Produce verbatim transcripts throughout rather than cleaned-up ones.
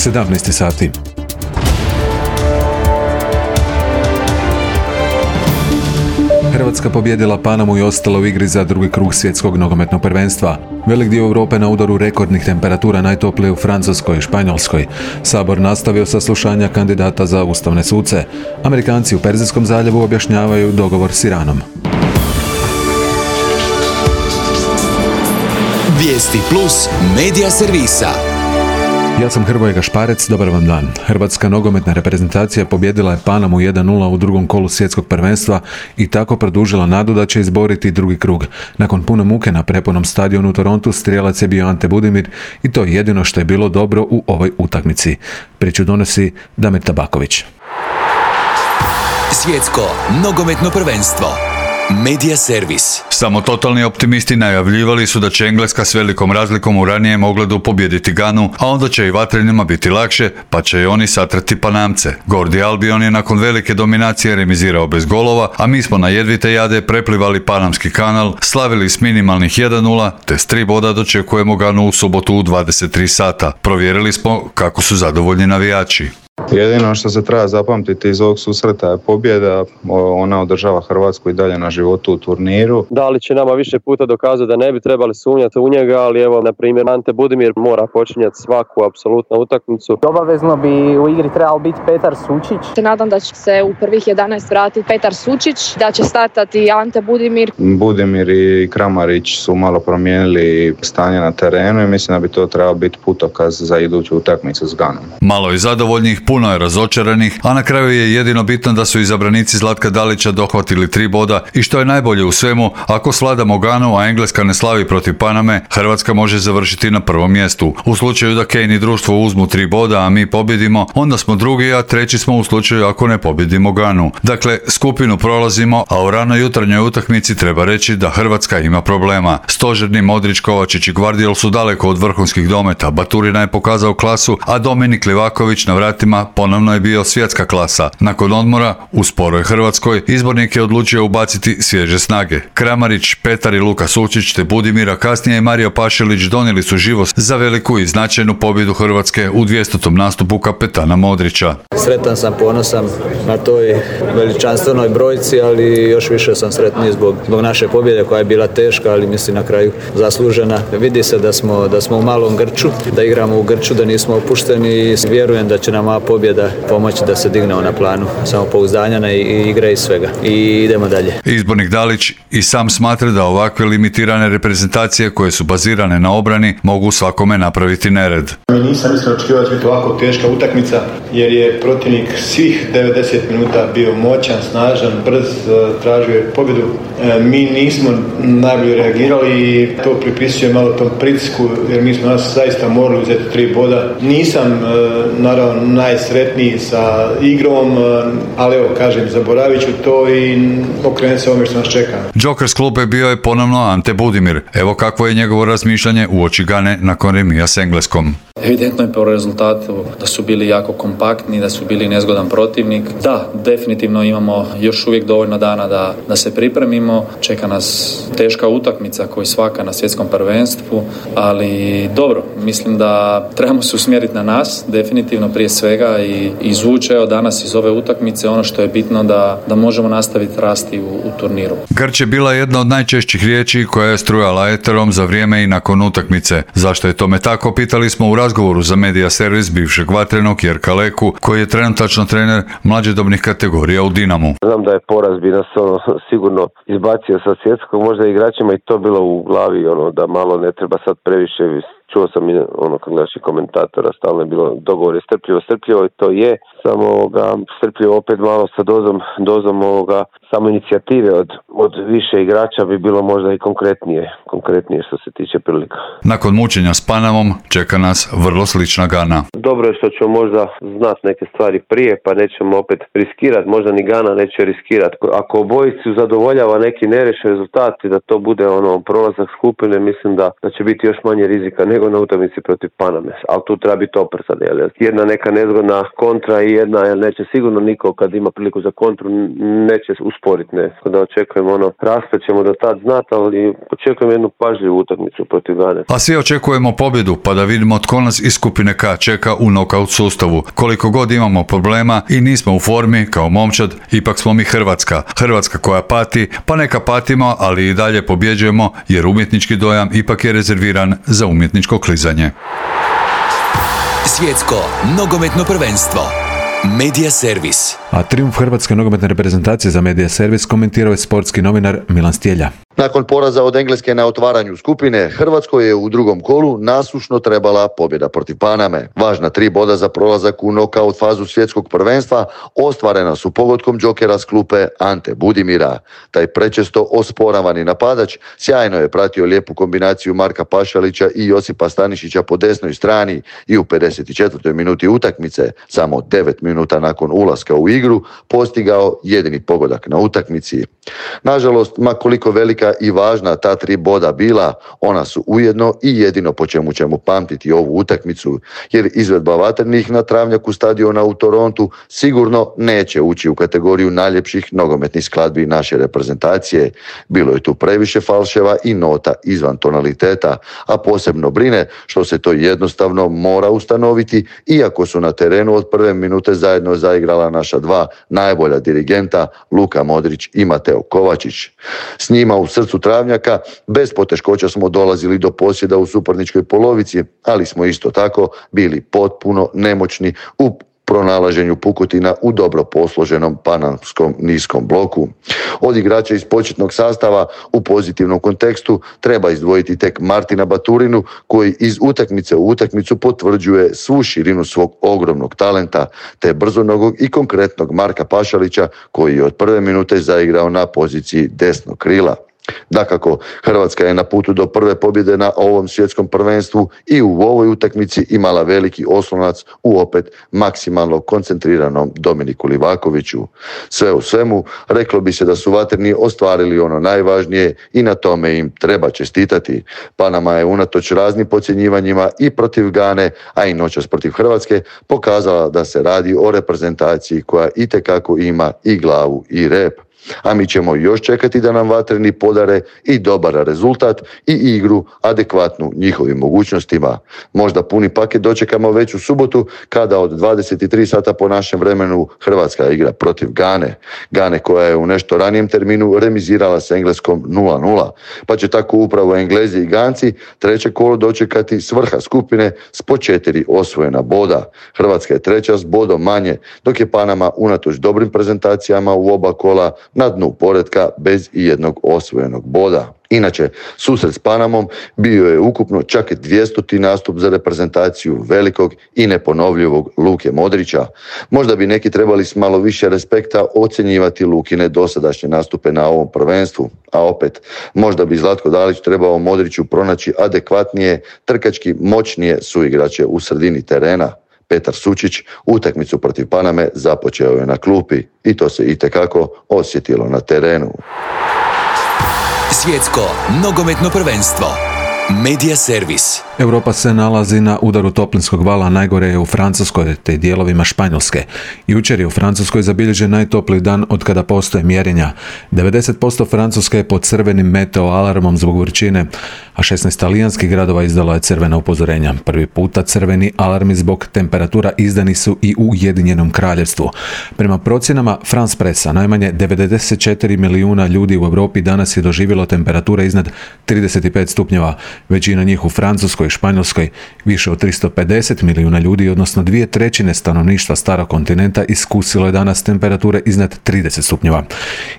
sedamnaest sati. Hrvatska pobijedila Panamu i ostala u igri za drugi krug svjetskog nogometnog prvenstva. Velik dio Europe na udaru rekordnih temperatura, najtoplije u Francuskoj i Španjolskoj. Sabor nastavio saslušanja kandidata za ustavne suce. Amerikanci u Perzijskom zaljevu objašnjavaju dogovor s Iranom. Vijesti plus medija servisa. Ja sam Hrvoje Gašparec, dobar vam dan. Hrvatska nogometna reprezentacija pobjedila je Panamu jedan nula u drugom kolu svjetskog prvenstva i tako produžila nadu da će izboriti drugi krug. Nakon puno muke na prepunom stadionu u Torontu strijelac je bio Ante Budimir i to je jedino što je bilo dobro u ovoj utakmici. Priču donosi Damir Tabaković. Svjetsko nogometno prvenstvo. Medija servis. Samo totalni optimisti najavljivali su da će Engleska s velikom razlikom u ranijem ogledu pobijediti Ganu, a onda će i vatrenima biti lakše, pa će i oni satrati Panamce. Gordi Albion je nakon velike dominacije remizirao bez golova, a mi smo na jedvite jade preplivali Panamski kanal, slavili s minimalnih jedan nula, te s tri boda dočekujemo Ganu u subotu u dvadeset tri sata. Provjerili smo kako su zadovoljni navijači. Jedino što se treba zapamtiti iz ovog susreta je pobjeda, ona održava Hrvatsku i dalje na životu u turniru. Da li će nama više puta dokazati da ne bi trebali sumnjati u njega, ali evo, na primjer, Ante Budimir mora počinjati svaku apsolutnu utakmicu. Obavezno bi u igri trebao biti Petar Sučić. Se nadam da će se u prvih jedanaest vratiti Petar Sučić, da će startati Ante Budimir. Budimir i Kramarić su malo promijenili stanje na terenu i mislim da bi to trebao biti putokaz za iduću utakmicu s Ganom. Malo je zadovoljnih, puno je razočaranih, a na kraju je jedino bitno da su izabranici Zlatka Dalića dohvatili tri boda i što je najbolje u svemu, ako svladamo Ganu, a Engleska ne slavi protiv Paname, Hrvatska može završiti na prvom mjestu. U slučaju da Kane i društvo uzmu tri boda, a mi pobjedimo, onda smo drugi, a treći smo u slučaju ako ne pobjedimo Ganu. Dakle, skupinu prolazimo, a u ranoj jutarnjoj utakmici treba reći da Hrvatska ima problema. Stožerni Modrić, Kovačić i Gvardiol su daleko od vrhunskih dometa, Baturina je pokazao klasu, a Dominik Livaković na vratima ponovno je bio svjetska klasa. Nakon odmora, u sporoj Hrvatskoj, izbornik je odlučio ubaciti svježe snage. Kramarić, Petar i Luka Sučić te Budimira, kasnije i Mario Pašelić donijeli su živost za veliku i značajnu pobjedu Hrvatske u dvjestotom nastupu kapetana Modrića. Sretan sam, ponosan na toj veličanstvenoj brojci, ali još više sam sretniji zbog, zbog naše pobjede koja je bila teška, ali mislim na kraju zaslužena. Vidi se da smo, da smo u malom grču, da igramo u grču, da nismo opušteni i vjerujem da će nam ova pobjeda pomoći da se dignemo na planu samopouzdanja i igre i svega. I idemo dalje. Izbornik Dalić i sam smatra da ovakve limitirane reprezentacije koje su bazirane na obrani mogu svakome napraviti nered. Nisam iskreno očekivao da će biti ovako teška utakmica jer je protivnik svih devedeset minuta bio moćan, snažan, brz, tražio je pobjedu. Mi nismo najbolje reagirali i to pripisujem malo tom pritisku jer mi smo nas zaista morali uzeti tri boda. Nisam naravno najsretniji sa igrom, ali evo kažem, zaboravit ću to i okrenuti se ovome što nas čeka. Joker s klupe bio je ponovno Ante Budimir. Evo kakvo je njegovo razmišljanje uoči Gane nakon remija s Engleskom. Evidentno je po rezultatu da su bili jako kompaktni, da su bili nezgodan protivnik. Da, definitivno imamo još uvijek dovoljno dana da, da se pripremimo. Čeka nas teška utakmica koji svaka na svjetskom prvenstvu, ali dobro, mislim da trebamo se usmjeriti na nas, definitivno prije svega i izvući evo danas iz ove utakmice ono što je bitno da, da možemo nastaviti rasti u, u turniru. Grč je bila jedna od najčešćih riječi koja je strujala eterom za vrijeme i nakon utakmice. Zašto je tome tako, pitali smo u razgovoru za medija servis bivšeg vatrenog Jerka Leku, koji je trenutačno trener mlađodobnih kategorija u Dinamu. Znam da je poraz bi nas ono, sigurno izbacio sa svjetskog, možda igračima i to bilo u glavi, ono, da malo ne treba sad previše. Čuo sam i ono kod naših komentatora, stalno je bilo dogovor je strpljivo, strpljivo i to je, samo ovoga, strpljivo opet malo sa dozom, dozom ovoga, samo inicijative od, od više igrača bi bilo možda i konkretnije, konkretnije što se tiče prilika. Nakon mučenja s Panamom čeka nas vrlo slična Gana. Dobro je što ćemo možda znati neke stvari prije, pa nećemo opet riskirati, možda ni Gana neće riskirati. Ako obojicu zadovoljava neki nerešen rezultat i da to bude ono prolazak skupine, mislim da, da će biti još manje rizika. Ne nego na utakmici protiv Paname, ali tu treba biti oprezan, jer jedna neka nezgodna kontra i jedna, jer neće sigurno niko kad ima priliku za kontru neće usporiti, ne. Da očekujemo ono, raspet ćemo do tad znati, ali očekujemo jednu pažljivu utakmicu protiv Gane. A svi očekujemo pobjedu, pa da vidimo tko nas iz skupine K čeka u nokaut sustavu. Koliko god imamo problema i nismo u formi kao momčad, ipak smo mi Hrvatska. Hrvatska koja pati, pa neka patimo, ali i dalje pobjeđujemo, jer umjetnički dojam ipak je rezerviran za umjetničko klizanje. Svjetsko nogometno prvenstvo. Medija servis. A trijumf hrvatske nogometne reprezentacije za Medija servis komentirao je sportski novinar Milan Stjelja. Nakon poraza od Engleske na otvaranju skupine, Hrvatskoj je u drugom kolu nasušno trebala pobjeda protiv Paname. Važna tri boda za prolazak u nokaut fazu svjetskog prvenstva ostvarena su pogodkom džokera s klupe Ante Budimira. Taj prečesto osporavani napadač sjajno je pratio lijepu kombinaciju Marka Pašalića i Josipa Stanišića po desnoj strani i u pedeset četvrtoj minuti utakmice, samo devet minuta nakon ulaska u igru, postigao jedini pogodak na utakmici. Nažalost, ma koliko velika i važna ta tri boda bila, ona su ujedno i jedino po čemu ćemo pamtiti ovu utakmicu, jer izvedba vatrenih na travnjaku stadiona u Torontu sigurno neće ući u kategoriju najljepših nogometnih skladbi naše reprezentacije. Bilo je tu previše falševa i nota izvan tonaliteta, a posebno brine što se to jednostavno mora ustanoviti, iako su na terenu od prve minute zajedno zaigrala naša dva najbolja dirigenta, Luka Modrić i Mateo Kovačić. S njima u srcu travnjaka bez poteškoća smo dolazili do posjeda u suparničkoj polovici, ali smo isto tako bili potpuno nemoćni u pronalaženju pukotina u dobro posloženom panamskom niskom bloku. Od igrača iz početnog sastava u pozitivnom kontekstu treba izdvojiti tek Martina Baturinu, koji iz utakmice u utakmicu potvrđuje svu širinu svog ogromnog talenta, te brzonogog i konkretnog Marka Pašalića, koji je od prve minute zaigrao na poziciji desnog krila. Dakako, Hrvatska je na putu do prve pobjede na ovom svjetskom prvenstvu i u ovoj utakmici imala veliki oslonac u opet maksimalno koncentriranom Dominiku Livakoviću. Sve u svemu, reklo bi se da su vatreni ostvarili ono najvažnije i na tome im treba čestitati. Panama je unatoč raznim podcjenjivanjima i protiv Gane, a i noćas protiv Hrvatske, pokazala da se radi o reprezentaciji koja itekako ima i glavu i rep. A mi ćemo još čekati da nam vatreni podare i dobar rezultat i igru adekvatnu njihovim mogućnostima. Možda puni paket dočekamo već u subotu, kada od dvadeset tri sata po našem vremenu Hrvatska igra protiv Gane. Gane koja je u nešto ranijem terminu remizirala s Engleskom nula nula. Pa će tako upravo Englezi i Ganci treće kolo dočekati s vrha skupine s po četiri osvojena boda. Hrvatska je treća s bodom manje, dok je Panama unatoč dobrim prezentacijama u oba kola na dnu poretka bez i jednog osvojenog boda. Inače, susret s Panamom bio je ukupno čak dvijestoti nastup za reprezentaciju velikog i neponovljivog Luke Modrića. Možda bi neki trebali s malo više respekta ocjenjivati Lukine dosadašnje nastupe na ovom prvenstvu, a opet, možda bi Zlatko Dalić trebao Modriću pronaći adekvatnije, trkački moćnije suigrače u sredini terena. Petar Sučić utakmicu protiv Paname započeo je na klupi i to se itekako osjetilo na terenu. Svjetsko nogometno prvenstvo. Medija servis. Europa se nalazi na udaru toplinskog vala, najgore je u Francuskoj te dijelovima Španjolske. Jučer je u Francuskoj zabilježen najtopliji dan od kada postoje mjerenja. devedeset posto Francuske je pod crvenim meteo alarmom zbog vrućine, a šesnaest talijanskih gradova izdalo je crvena upozorenja. Prvi puta crveni alarmi zbog temperatura izdani su i u Ujedinjenom Kraljevstvu. Prema procjenama France Pressa, najmanje devedeset četiri milijuna ljudi u Europi danas je doživjelo temperature iznad trideset pet stupnjeva. Većina njih u Francuskoj i Španjolskoj, više od tristo pedeset milijuna ljudi, odnosno dvije trećine stanovništva starog kontinenta, iskusilo je danas temperature iznad trideset stupnjeva.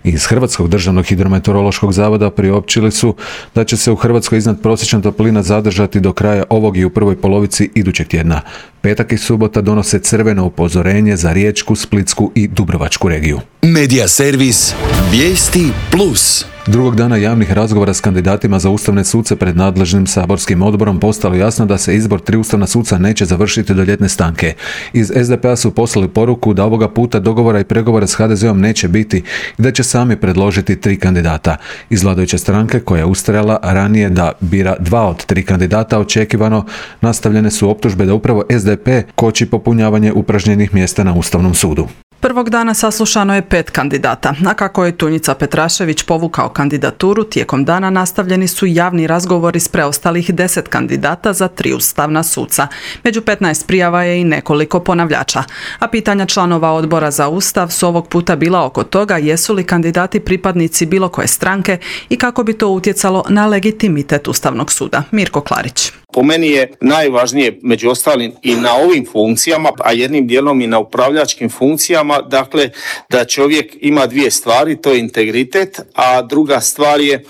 Iz Hrvatskog državnog hidrometeorološkog zavoda priopćili su da će se u Hrvatskoj iznad prosječna toplina zadržati do kraja ovog i u prvoj polovici idućeg tjedna. Petak i subota donose crveno upozorenje za Riječku, Splitsku i Dubrovačku regiju. Medija servis Vijesti plus. Drugog dana javnih razgovora s kandidatima za ustavne suce pred nadležnim saborskim odborom postalo jasno da se izbor tri ustavna suca neće završiti do ljetne stanke. Iz es de pe a su poslali poruku da ovoga puta dogovora i pregovora s ha de zeom neće biti i da će sami predložiti tri kandidata. Iz vladajuće stranke, koja je ustrajala ranije da bira dva od tri kandidata, očekivano nastavljene su optužbe da upravo es de pe koči popunjavanje upražnjenih mjesta na Ustavnom sudu. Prvog dana saslušano je pet kandidata, a kako je Tunjica Petrašević povukao kandidaturu, tijekom dana nastavljeni su javni razgovori s preostalih deset kandidata za tri ustavna suca. Među petnaest prijava je i nekoliko ponavljača, a pitanja članova odbora za Ustav su ovog puta bila oko toga jesu li kandidati pripadnici bilo koje stranke i kako bi to utjecalo na legitimitet Ustavnog suda. Mirko Klarić. Po meni je najvažnije među ostalim i na ovim funkcijama, a jednim dijelom i na upravljačkim funkcijama, dakle da čovjek ima dvije stvari, to je integritet, a druga stvar je e,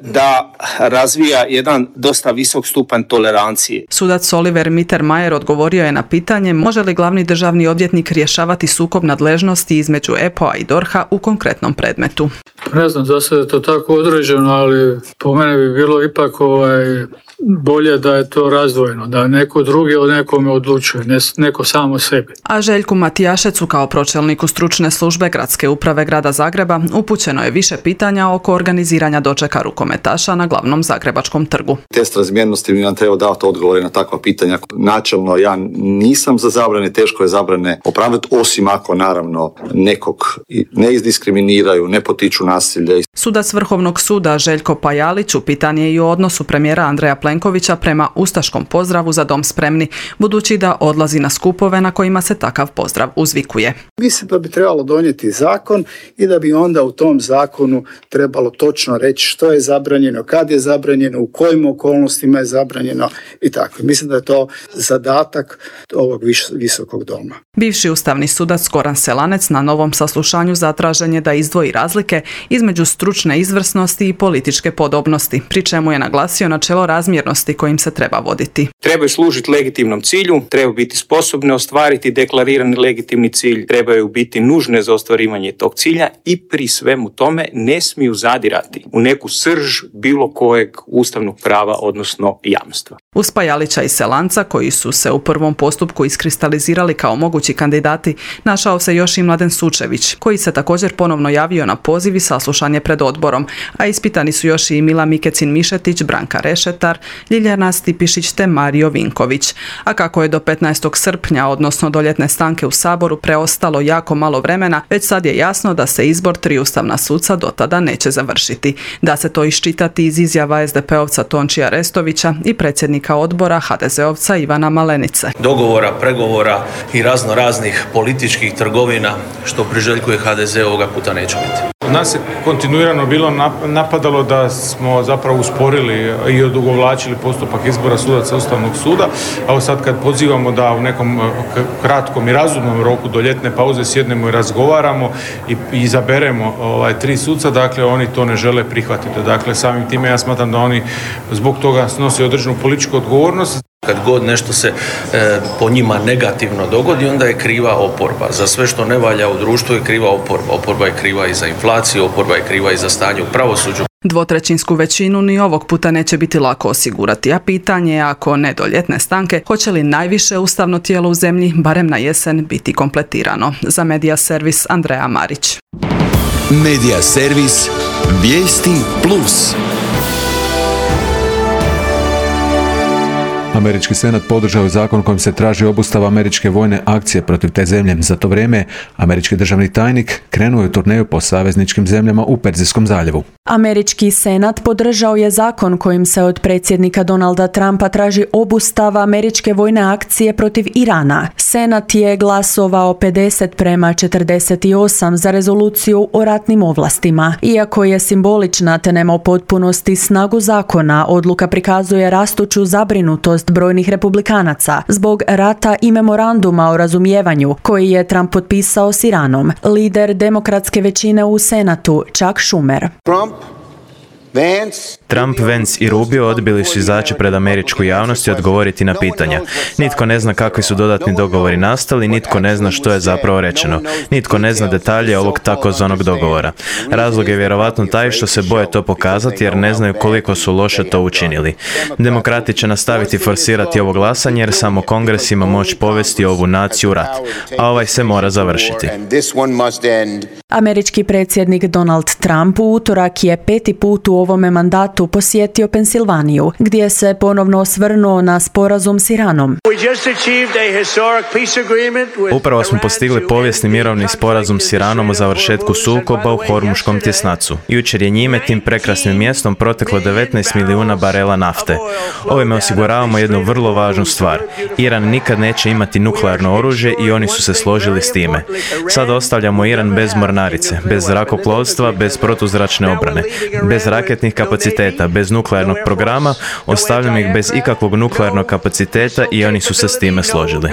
da razvija jedan dosta visok stupanj tolerancije. Sudac Oliver Mittermeier odgovorio je na pitanje može li glavni državni odvjetnik rješavati sukob nadležnosti između e pe o a i dorha u konkretnom predmetu. Ne znam za sada je to tako određeno, ali po mene bi bilo ipak ovaj, bolje da je to razdvojeno, da neko drugi od nekome odlučuje, ne neko samo sebi. A Željku Matijašecu kao pročelniku stručne službe Gradske uprave Grada Zagreba upućeno je više pitanja oko organiziranja dočeka rukometaša na glavnom Zagrebačkom trgu. Test razmjernosti bi nam trebao davati odgovore na takva pitanja. Načelno ja nisam za zabrane, teško je zabrane opravdati, osim ako naravno nekog ne izdiskriminiraju, ne potiču nasilje. Sudac Vrhovnog suda Željko Pajalić upitan je i o odnosu premijera Andreja Plenkovića prema ustaškom pozdravu Za dom spremni, budući da odlazi na skupove na kojima se takav pozdrav uzvikuje. Mislim da bi trebalo donijeti zakon i da bi onda u tom zakonu trebalo točno reći što je zabranjeno, kad je zabranjeno, u kojim okolnostima je zabranjeno i tako. Mislim da je to zadatak ovog visokog doma. Bivši ustavni sudac Goran Selanec na novom saslušanju zatražen je da izdvoji razlike između stručne izvrsnosti i političke podobnosti, pri čemu je naglasio načelo razmjernosti kojim se treba voditi. Trebaju služiti legitimnom cilju, trebaju biti sposobne ostvariti deklarirani legitimni cilj, trebaju biti nužne za ostvarivanje tog cilja i pri svemu tome ne smiju zadirati u neku srž bilo kojeg ustavnog prava, odnosno jamstva. Uz Pajalića i Selanca, koji su se u prvom postupku iskristalizirali kao mogući kandidati, našao se još i Mladen Sučević, koji se također ponovno javio na poziv i saslušanje pred odborom, a ispitani su još i Mila Mikecin-Mišetić, Branka Rešetar, Ljiljana Stipišić te Mario Vinković. A kako je do petnaestog srpnja, odnosno do ljetne stanke u Saboru, preostalo jako malo vremena, već sad je jasno da se izbor tri ustavna suca do tada neće završiti. Da se to iščitati iz izjava es de pe ovca Tončija Restovića i predsjednika odbora ha de zeovca Ivana Malenice. Dogovora, pregovora i razno raznih političkih trgovina što priželjkuje ha de ze ovoga puta neće biti. Nas je kontinuirano bilo napadalo da smo zapravo usporili i odugovlačili postupak izbora sudaca Ustavnog suda, a sad kad pozivamo da u nekom kratkom i razumnom roku do ljetne pauze sjednemo i razgovaramo i izaberemo ovaj, tri suca, dakle oni to ne žele prihvatiti. Dakle, samim time ja smatram da oni zbog toga snose određenu političku odgovornost. Kad god nešto se e, po njima negativno dogodi, onda je kriva oporba. Za sve što ne valja u društvu je kriva oporba. Oporba je kriva i za inflaciju, oporba je kriva i za stanje u pravosuđu. Dvotrećinsku većinu ni ovog puta neće biti lako osigurati, a pitanje je, ako ne do ljetne stanke, hoće li najviše ustavno tijelo u zemlji, barem na jesen, biti kompletirano. Za Medija servis Andreja Marić. Medija servis Vijesti plus. Američki senat podržao je zakon kojim se traži obustava američke vojne akcije protiv te zemlje. Za to vrijeme američki državni tajnik krenuo je u turneju po savezničkim zemljama u Perzijskom zaljevu. Američki senat podržao je zakon kojim se od predsjednika Donalda Trumpa traži obustava američke vojne akcije protiv Irana. Senat je glasovao pedeset prema četrdeset osam za rezoluciju o ratnim ovlastima. Iako je simbolična te nema u potpunosti snagu zakona, odluka prikazuje rastuću zabrinutost brojnih republikanaca zbog rata i memoranduma o razumijevanju koji je Trump potpisao s Iranom. Lider demokratske većine u Senatu, Chuck Schumer. Trump Trump, Vance i Rubio odbili su izaći pred američku javnost i odgovoriti na pitanja. Nitko ne zna kakvi su dodatni dogovori nastali, nitko ne zna što je zapravo rečeno. Nitko ne zna detalje ovog takozvanog dogovora. Razlog je vjerovatno taj što se boje to pokazati jer ne znaju koliko su loše to učinili. Demokrati će nastaviti forsirati ovo glasanje jer samo Kongres ima moć povesti ovu naciju u rat, a ovaj se mora završiti. Američki predsjednik Donald Trump u utorak je peti put u ovome mandatu posjetio Pensilvaniju, gdje se ponovno osvrnuo na sporazum s Iranom. Upravo smo postigli povijesni mirovni sporazum s Iranom o završetku sukoba u Hormuškom tjesnacu. Jučer je njime, tim prekrasnim mjestom, proteklo devetnaest milijuna barela nafte. Ovime osiguravamo jednu vrlo važnu stvar. Iran nikad neće imati nuklearno oružje i oni su se složili s time. Sad ostavljamo Iran bez mornarice, bez zrakoplovstva, bez protuzračne obrane, bez raketnih kapaciteta, bez nuklearnog programa, ostavljamo ih bez ikakvog nuklearnog kapaciteta i oni su se s time složili.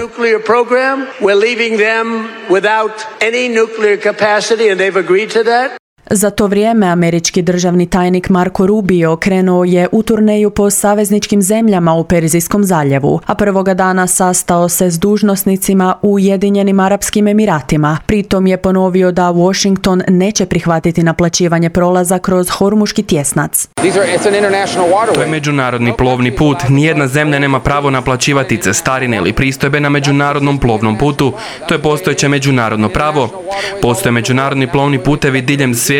Za to vrijeme američki državni tajnik Marco Rubio krenuo je u turneju po savezničkim zemljama u Perzijskom zaljevu, a prvoga dana sastao se s dužnosnicima u Ujedinjenim Arapskim Emiratima. Pritom je ponovio da Washington neće prihvatiti naplaćivanje prolaza kroz Hormuški tjesnac. To je međunarodni plovni put. Nijedna zemlja nema pravo naplaćivati cestarine ili pristojbe na međunarodnom plovnom putu. To je postojeće međunarodno pravo. Postoje međunarodni plovni putevi diljem svijeta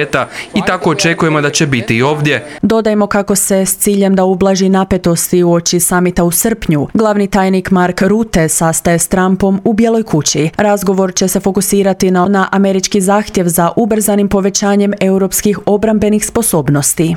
i tako očekujemo da će biti i ovdje. Dodajmo kako se s ciljem da ublaži napetosti uoči samita u srpnju, glavni tajnik Mark Rutte sastaje s Trumpom u Bijeloj kući. Razgovor će se fokusirati na, na američki zahtjev za ubrzanim povećanjem europskih obrambenih sposobnosti.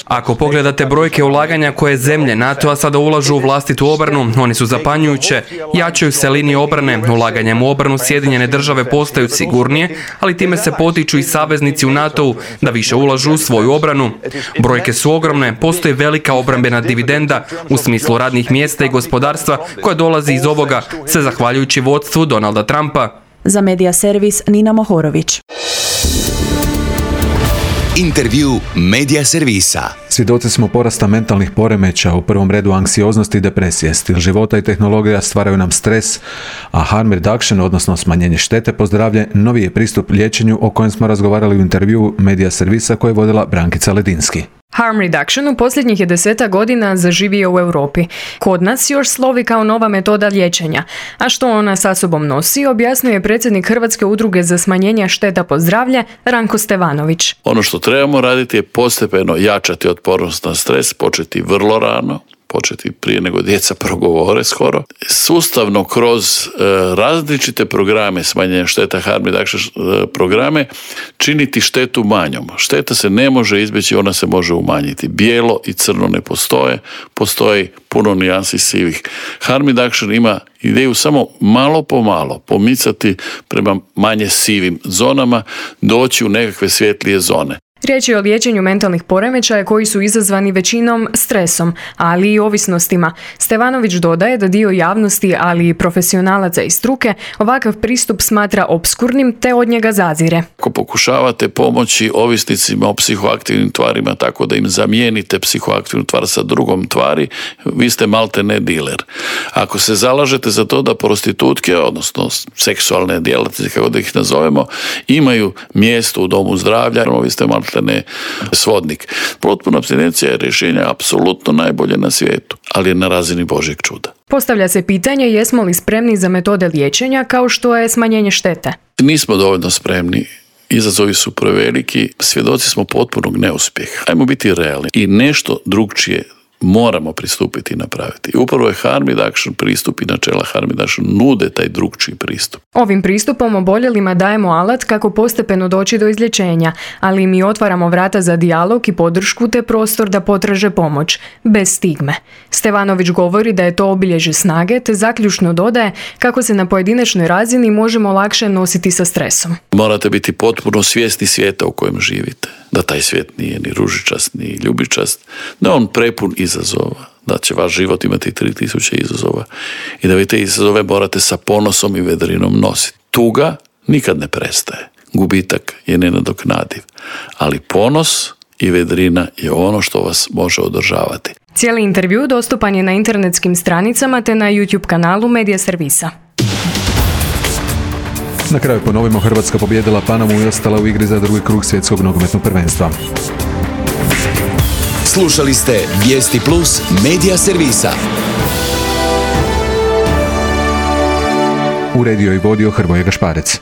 Ako pogledate brojke ulaganja koje zemlje NATO-a sada ulažu u vlastitu obranu, oni su zapanjujuće. Jačaju se linije obrane, ulaganjem u obranu Sjedinjene države postaju sigurnije, ali time se potiču i saveznici u NATO-u da više ulažu u svoju obranu. Brojke su ogromne, postoji velika obrambena dividenda u smislu radnih mjesta i gospodarstva koja dolazi iz ovoga, sve zahvaljujući vodstvu Donalda Trumpa. Za Medija servis Nina Mohorović. Intervju Medija servisa. Svjedoci smo porasta mentalnih poremeća, u prvom redu anksioznosti i depresije. Stil života i tehnologija stvaraju nam stres, a harm reduction, odnosno smanjenje štete po zdravlje, novi je pristup liječenju o kojem smo razgovarali u intervjuu Medija servisa koje je vodila Brankica Ledinski. Harm reduction u posljednjih je deseta godina zaživio u Europi. Kod nas još slovi kao nova metoda liječenja. A što ona sa sobom nosi, objasnio je predsjednik Hrvatske udruge za smanjenje šteta po zdravlje, Ranko Stevanović. Ono što trebamo raditi je postepeno jačati otpornost na stres, početi vrlo rano, početi prije nego djeca progovore skoro. Sustavno kroz e, različite programe smanjenja šteta, harm reduction e, programe, činiti štetu manjom. Šteta se ne može izbjeći, ona se može umanjiti. Bijelo i crno ne postoje, postoji puno nijansi sivih. Harm reduction ima ideju samo malo po malo pomicati prema manje sivim zonama, doći u nekakve svjetlije zone. Riječ je o liječenju mentalnih poremećaja koji su izazvani većinom stresom, ali i ovisnostima. Stevanović dodaje da dio javnosti, ali i profesionalaca i struke, ovakav pristup smatra opskurnim te od njega zazire. Ako pokušavate pomoći ovisnicima o psihoaktivnim tvarima tako da im zamijenite psihoaktivnu tvar sa drugom tvari, vi ste malte ne diler. Ako se zalažete za to da prostitutke, odnosno seksualne djelatnice, kako da ih nazovemo, imaju mjesto u domu zdravlja, vi ste malte ne svodnik. Potpuna apstinencija je rješenje apsolutno najbolje na svijetu, ali je na razini Božjeg čuda. Postavlja se pitanje jesmo li spremni za metode liječenja kao što je smanjenje štete. Nismo dovoljno spremni. Izazovi su preveliki, svjedoci smo potpunog neuspjeha. Ajmo biti realni i nešto drugčije moramo pristupiti i napraviti. I upravo je harm reduction pristup i načela harm reduction nude taj drugčiji pristup. Ovim pristupom oboljelima dajemo alat kako postepeno doći do izlječenja, ali mi otvaramo vrata za dijalog i podršku te prostor da potraže pomoć, bez stigme. Stevanović govori da je to obilježje snage, te zaključno dodaje kako se na pojedinačnoj razini možemo lakše nositi sa stresom. Morate biti potpuno svjesni svijeta u kojem živite. Da taj svijet nije ni ružičast, ni ljubičast, da on prepun izazova, da će vaš život imati tri tisuće izazova i da vi te izazove morate sa ponosom i vedrinom nositi. Tuga nikad ne prestaje. gubitak je nenadoknadiv. Ali ponos i vedrina je ono što vas može održavati. Cijeli intervju dostupan je na internetskim stranicama te na YouTube kanalu Medija Servisa. Na kraju ponovimo, Hrvatska pobijedila Panamu i ostala u igri za drugi krug svjetskog nogometnog prvenstva. Slušali ste Vijesti Plus Medija Servisa. Uredio i vodio Hrvoje Gašparec.